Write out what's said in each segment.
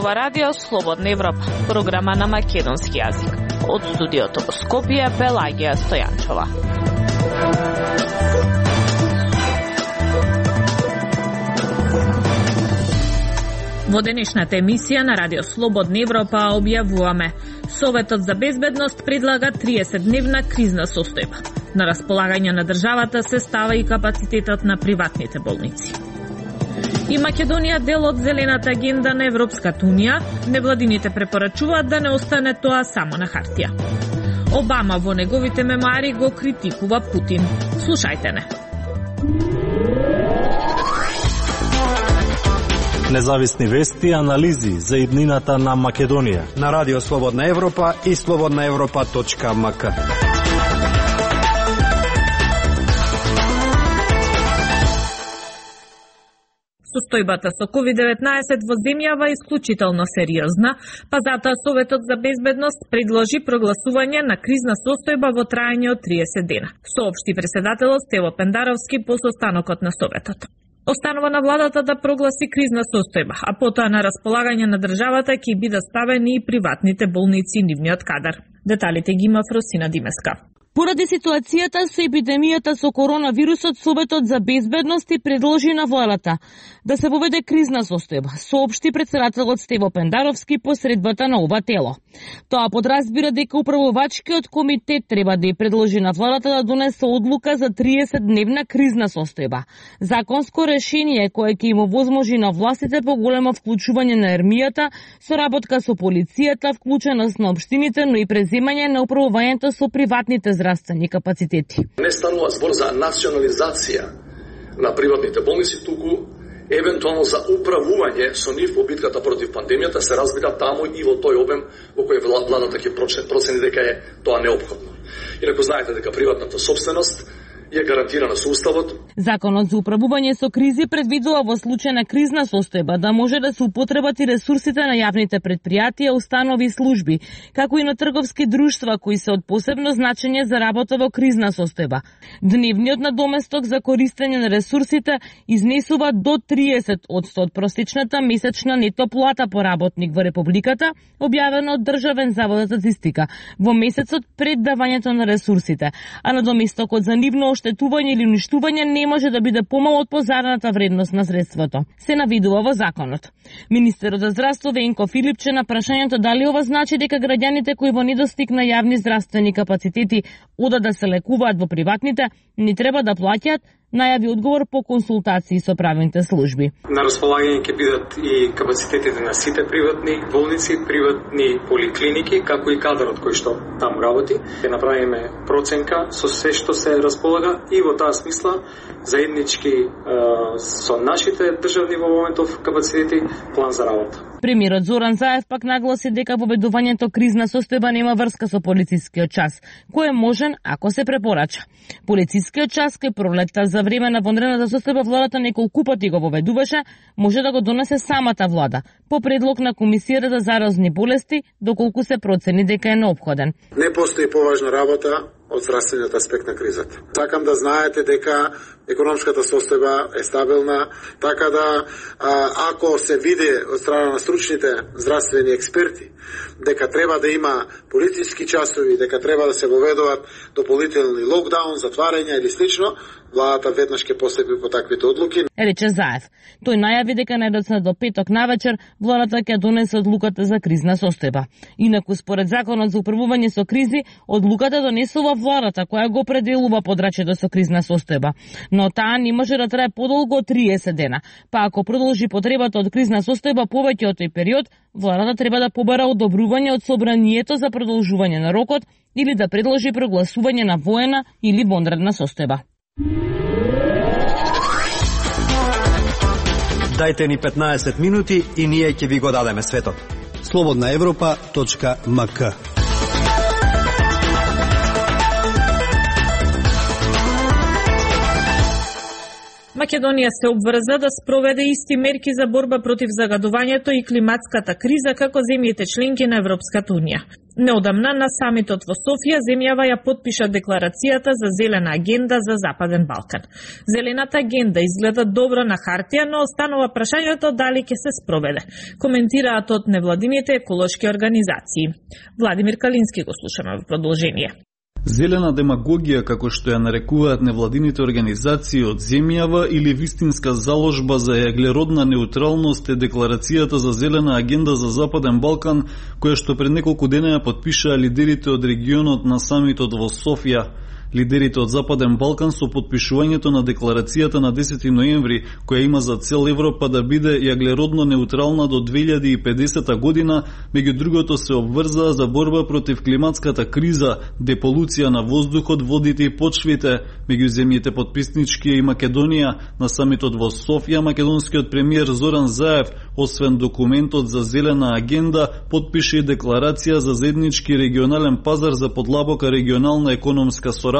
ова радио Слободна Европа, програма на македонски јазик. Од студиото во Скопје, Пелагија Стојанчова. Во денешната емисија на радио Слободна Европа објавуваме: Советот за безбедност предлага 30-дневна кризна состојба. На располагање на државата се става и капацитетот на приватните болници. И Македонија дел од зелената агенда на Европската унија, невладините препорачуваат да не остане тоа само на хартија. Обама во неговите мемуари го критикува Путин. Слушајте не. Независни вести и анализи за иднината на Македонија на радио Слободна Европа и slobodnaevropa.mk. Состојбата со COVID-19 во земјава е исклучително сериозна, па затоа Советот за безбедност предложи прогласување на кризна состојба во трајање од 30 дена, соопшти претседателот Стево Пендаровски по состанокот на Советот. Останува на владата да прогласи кризна состојба, а потоа на располагање на државата ќе бидат ставени и приватните болници и нивниот кадар. Деталите ги има Фросина Димеска. Поради ситуацијата со епидемијата со коронавирусот, Советот за безбедност предложи на владата да се воведе кризна состојба, соопшти претседателот Стево Пендаровски по средбата на ова тело. Тоа подразбира дека управувачкиот комитет треба да ја предложи на владата да донесе одлука за 30-дневна кризна состојба. Законско решение кое ќе им овозможи на властите поголемо вклучување на армијата, соработка со полицијата, вклученост на општините, но и преземање на управувањето со приватните здравствени капацитети. Не станува збор за национализација на приватните болници, туку евентуално за управување со нив во битката против пандемијата, се разбира таму и во тој обем во кој владата ќе процени дека е тоа неопходно. Инаку знаете дека приватната собственост е гарантирана со Уставот. Законот за управување со кризи предвидува во случај на кризна состојба да може да се употребат и ресурсите на јавните предпријатија, установи и служби, како и на трговски друштва кои се од посебно значење за работа во кризна состојба. Дневниот надоместок за користење на ресурсите изнесува до 30% од просечната месечна нето плата по работник во Републиката, објавено од Државен завод за статистика во месецот пред давањето на ресурсите, а надоместокот за нивно оштетување или уништување не може да биде помал од позарната вредност на средството. Се навидува во законот. Министерот за здравство Венко Филипче на прашањето дали ова значи дека граѓаните кои во недостиг на јавни здравствени капацитети одат да се лекуваат во приватните, не треба да плаќаат, најави одговор по консултации со правните служби. На располагање ќе бидат и капацитетите на сите приватни болници, приватни поликлиники, како и кадарот кој што таму работи. Ќе направиме проценка со се што се располага и во таа смисла заеднички со нашите државни во моментов капацитети план за работа. Премиерот Зоран Заев пак нагласи дека воведувањето кризна состојба нема врска со полицискиот час, кој е можен ако се препорача. Полицискиот час кој пролетта за време на вонредната состојба владата неколку пати го воведуваше, може да го донесе самата влада, по предлог на Комисијата за заразни болести, доколку се процени дека е неопходен. Не постои поважна работа од здравствениот аспект на кризата. Сакам да знаете дека економската состојба е стабилна, така да ако се види од страна на стручните здравствени експерти дека треба да има полициски часови, дека треба да се воведуваат дополнителни локдаун, затварања или слично, владата веднаш ќе постапи по таквите одлуки. Рече Заев. Тој најави дека најдоцна до петок навечер владата ќе донесе одлуката за кризна состојба. Инаку според законот за управување со кризи, одлуката донесува владата која го определува подрачјето со кризна состојба, но таа не може да трае подолго од 30 дена. Па ако продолжи потребата од кризна состојба повеќе од тој период, владата треба да побара одобрување од собранието за продолжување на рокот или да предложи прогласување на воена или вонредна состојба. Дајте ни 15 минути и ние ќе ви го дадеме светот. slobodnaevropa.mk. Македонија се обврза да спроведе исти мерки за борба против загадувањето и климатската криза како земјите членки на Европската унија. Неодамна на самитот во Софија земјава ја потпиша декларацијата за зелена агенда за Западен Балкан. Зелената агенда изгледа добро на хартија, но останува прашањето дали ќе се спроведе. Коментираат од невладините еколошки организации. Владимир Калински го слушаме во продолжение. Зелена демагогија, како што ја нарекуваат невладините организации од земјава или вистинска заложба за јаглеродна неутралност е декларацијата за зелена агенда за Западен Балкан, која што пред неколку дена ја потпишаа лидерите од регионот на самитот во Софија. Лидерите од Западен Балкан со потпишувањето на декларацијата на 10 ноември, која има за цел Европа да биде јаглеродно неутрална до 2050 година, меѓу другото се обврзаа за борба против климатската криза, деполуција на воздухот, водите и почвите. Меѓу земјите потписнички и Македонија. На самитот во Софија, македонскиот премиер Зоран Заев, освен документот за зелена агенда, потпише и декларација за заеднички регионален пазар за подлабока регионална економска соработка,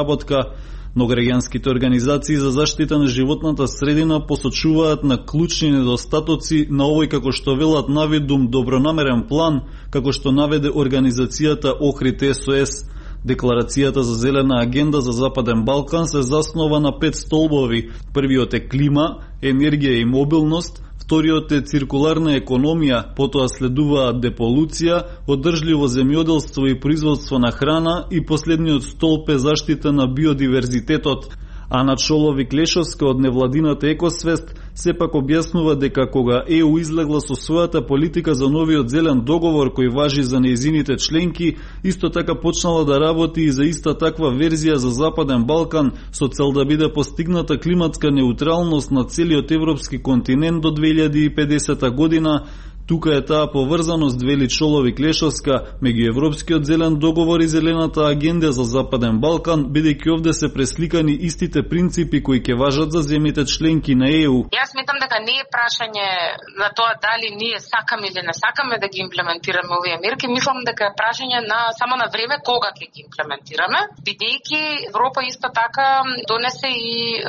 но граѓанските организации за заштита на животната средина посочуваат на клучни недостатоци на овој, како што велат навидум, добронамерен план, како што наведе организацијата Охрид СОС. Декларацијата за зелена агенда за Западен Балкан се заснова на 5 столбови. Првиот е клима, енергија и мобилност, вториот е циркуларна економија, потоа следуваат деполуција, одржливо земјоделство и производство на храна и последниот столб е заштита на биодиверзитетот. Ана Чоловик-Лешовска од невладината Екосвест сепак објаснува дека кога ЕУ излегла со својата политика за новиот зелен договор кој важи за нејзините членки, исто така почнала да работи и за иста таква верзија за Западен Балкан со цел да биде постигната климатска неутралност на целиот европски континент до 2050 година. Тука е таа поврзаност, вели Чоловик-Лешовска, меѓу Европскиот зелен договор и Зелената агенда за Западен Балкан, бидејќи овде се пресликани истите принципи кои ќе важат за земјите членки на ЕУ. Јас сметам дека не е прашање на тоа дали ние сакаме или не сакаме да ги имплементираме овие мерки, мислам дека е прашање на само на време кога ќе ги имплементираме, бидејќи Европа исто така донесе и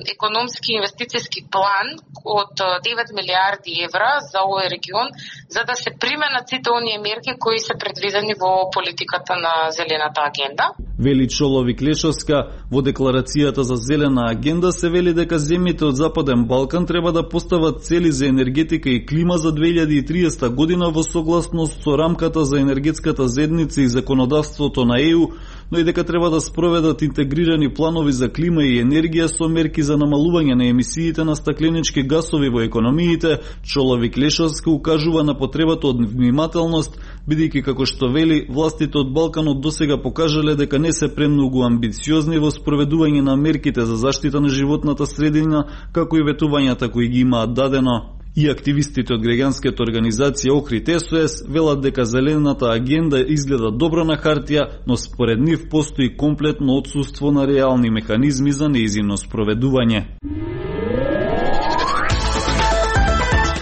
економски инвестициски план од 9 милиарди евра за овој регион, за да се применат сите оние мерки кои се предвидени во политиката на Зелената агенда. Вели Чоловик-Лешовска, во декларацијата за Зелена агенда се вели дека земјите од Западен Балкан треба да постават цели за енергетика и клима за 2030 година во согласност со рамката за енергетската заедница и законодавството на ЕУ, но и дека треба да спроведат интегрирани планови за клима и енергија со мерки за намалување на емисиите на стакленички гасови во економиите. Чоловик-Лешовска укажува на потребата од внимателност, бидејќи како што вели, властите од Балканот досега покажале дека не се премногу амбициозни во спроведување на мерките за заштита на животната средина, како и ветувањата кои ги имаат дадено. И активистите од граѓанската организација Охрид СОС велат дека Зелената агенда изгледа добро на хартија, но според нив постои комплетно отсуство на реални механизми за нејзино спроведување.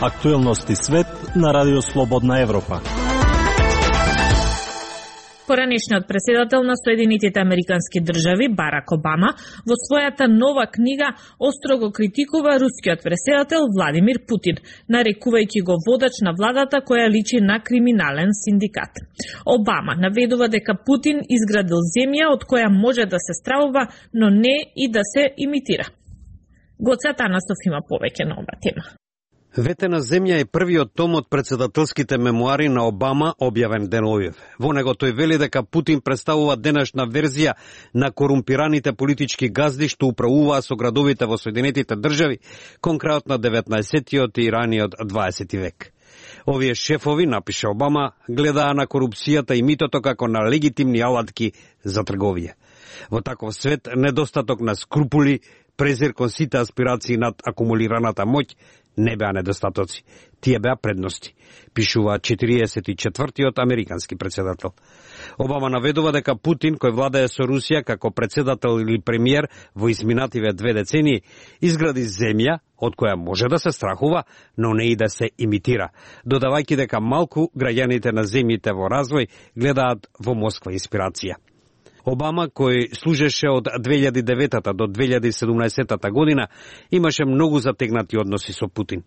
Актуелности свет на Радио Слободна Европа. Поранешниот председател на Соединетите Американски држави Барак Обама во својата нова книга остро го критикува рускиот председател Владимир Путин, нарекувајќи го водач на владата која личи на криминален синдикат. Обама наведува дека Путин изградил земја од која може да се стравува, но не и да се имитира. Гоце Атанасов има повеќе на оваа тема. Ветена земја е првиот том од председателските мемуари на Обама, објавен денолив. Во него тој вели дека Путин представува денешна верзија на корумпираните политички газди што управуваа со градовите во Соединетите држави, конкретно 19-тиот и раниот 20 век. Овие шефови, напише Обама, гледаа на корупцијата и митото како на легитимни алатки за трговија. Во таков свет, недостаток на скрупули, презир кон сите аспирации над акумулираната моќ, не беа недостатоци, тие беа предности, пишува 44-тиот американски председател. Обама наведува дека Путин, кој владее со Русија како председател или премиер во изминативе 2 децении, изгради земја од која може да се страхува, но не и да се имитира, додавајќи дека малку граѓаните на земјите во развој гледаат во Москва инспирација. Обама, кој служеше од 2009 до 2017 година, имаше многу затегнати односи со Путин.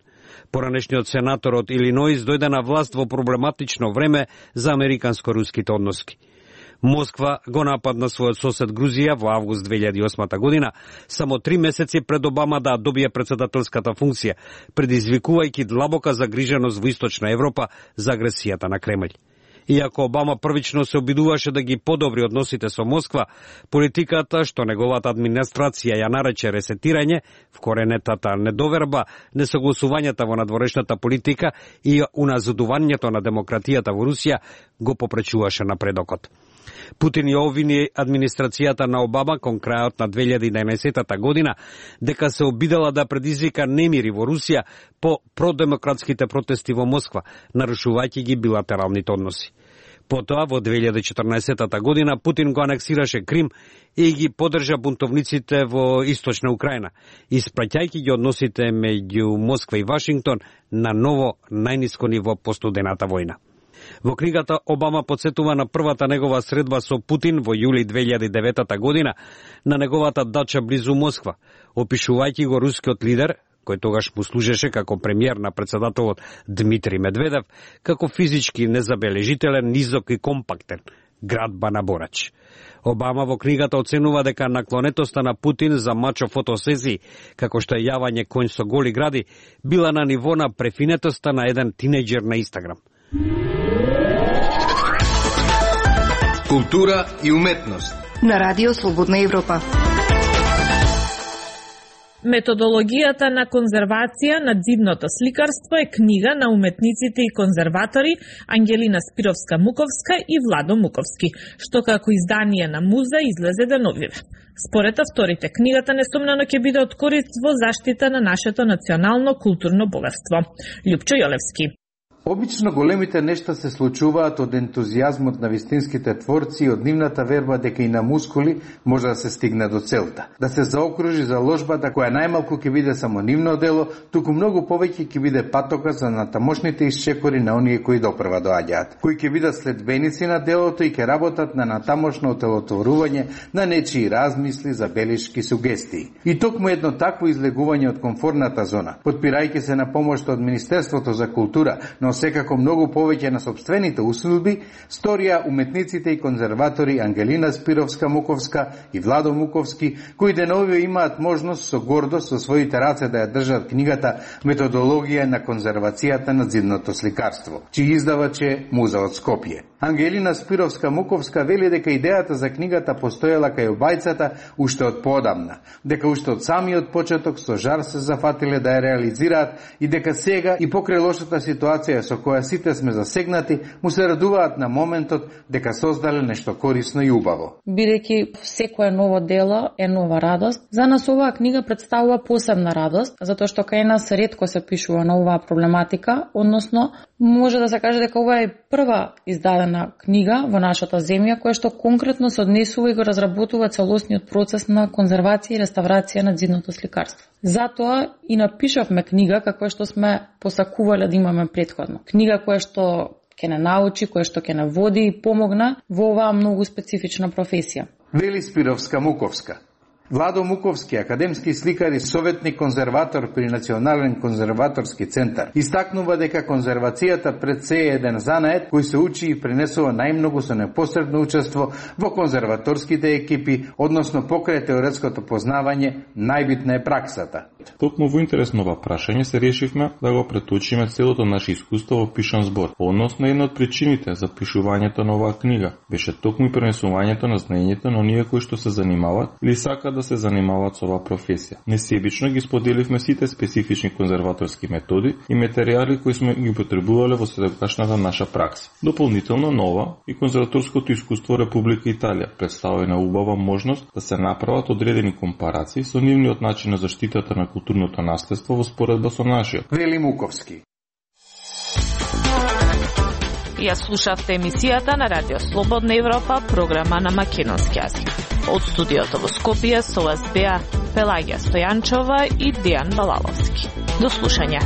Поранешниот сенатор од Илиноис дојде на власт во проблематично време за американско-руските односи. Москва го нападна својот сосед Грузија во август 2008 година, само 3 месеци пред Обама да добие председателската функција, предизвикувајќи длабока загриженост во Источна Европа за агресијата на Кремљ. Иако Обама првично се обидуваше да ги подобри односите со Москва, политиката што неговата администрација ја нарече ресетирање, вкоренетата недоверба, несогласувањата во надворешната политика и уназадувањето на демократијата во Русија го попречуваше напредокот. Путин ја обвини администрацијата на Обама кон крајот на 2011 година дека се обидела да предизвика немири во Русија по продемократските протести во Москва, нарушувајќи ги билатералните односи. Потоа, во 2014 година, Путин го анексираше Крим и ги поддржа бунтовниците во Источна Украина, испраќајќи ги односите меѓу Москва и Вашингтон на ново најниско ниво по студената војна. Во книгата Обама подсетува на првата негова средба со Путин во јули 2009 година на неговата дача близу Москва, опишувајќи го рускиот лидер, кој тогаш му служеше како премиер на председателот Дмитрий Медведев, како физички незабележителен, низок и компактен, градба на борач. Обама во книгата оценува дека наклонетоста на Путин за мачо фотосесии, како што е јавање конј со голи гради, била на ниво на префинетоста на еден тинејџер на Инстаграм. Култура и уметност на Радио Слободна Европа. Методологијата на конзервација на дзидното сликарство е книга на уметниците и конзерватори Ангелина Спировска-Муковска и Владо Муковски, што како издание на Муза излезе деновиве. Според авторите, книгата несомнено ќе биде од корист во заштита на нашето национално културно богатство. Љупчо Јолевски. Обично големите нешта се случуваат од ентузијазмот на вистинските творци и од нивната верба дека и на мускули може да се стигне до целта. Да се заокружи заложбата која најмалку ќе биде само нивно дело, туку многу повеќе ќе биде патока за натамошните исчекори на оние кои допрва доаѓаат, кои ќе бидат следбеници на делото и ќе работат на натамошно отелотворување на нечии размисли, забелишки, сугестии. И токму едно такво излегување од комфортната зона, потпирајќи се на помошта од Министерството за култура, но секако многу повеќе на собствените усилби, сторија уметниците и конзерватори Ангелина Спировска-Муковска и Владо Муковски, кои деновиве имаат можност со гордост со своите раце да ја држат книгата Методологија на конзервацијата на дзидното сликарство, чиј издавач е Муза од Скопје. Ангелина Спировска-Муковска вели дека идејата за книгата постоела кај обајцата уште од поодамна, дека уште од самиот почеток со жар се зафатиле да ја реализираат и дека сега и покрај лошата ситуација со која сите сме засегнати, му се радуваат на моментот дека создале нешто корисно и убаво. Бидејќи секое ново дело е нова радост, за нас оваа книга представува посебна радост, затоа што кај нас ретко се пишува на оваа проблематика, односно може да се каже дека ова е прва издадена книга во нашата земја која што конкретно се однесува и го разработува целосниот процес на конзервација и реставрација на дзидното сликарство. Затоа и напишавме книга каква што сме посакувале да имаме претходно. Книга која што ќе не научи, која што ќе не води и помогна во оваа многу специфична професија. Вели Спировска-Муковска. Владо Муковски, академски сликар и советник конзерватор при Национален конзерваторски центар, истакнува дека конзервацијата пред се е еден занает кој се учи и пренесува најмногу со непосредно учество во конзерваторските екипи, односно покрај теоретското познавање, најбитна е праксата. Токму во интерес на ова прашање се решивме да го преточиме целото наше искуство во пишан збор. Односно, една од причините за пишувањето на оваа книга беше токму пренесувањето на знаењето на оние кои што се занимаваат или сакаат да се занимаваат со оваа професија. Несебично ги споделивме сите специфични конзерваторски методи и материјали кои сме ги потребувале во сегашната наша пракса. Дополнително нова и конзерваторското искуство Република Италија представува една убава можност да се направат одредени компарации со нивниот начин на заштитата на културното наследство во споредба со нашиот. Вели Муковски. Ја слушавте емисијата на Радио Слободна Европа, програма на македонски јазик. Од студиото во Скопје со вас беа Пелагија Стојанчова и Дејан Балаловски. До слушање.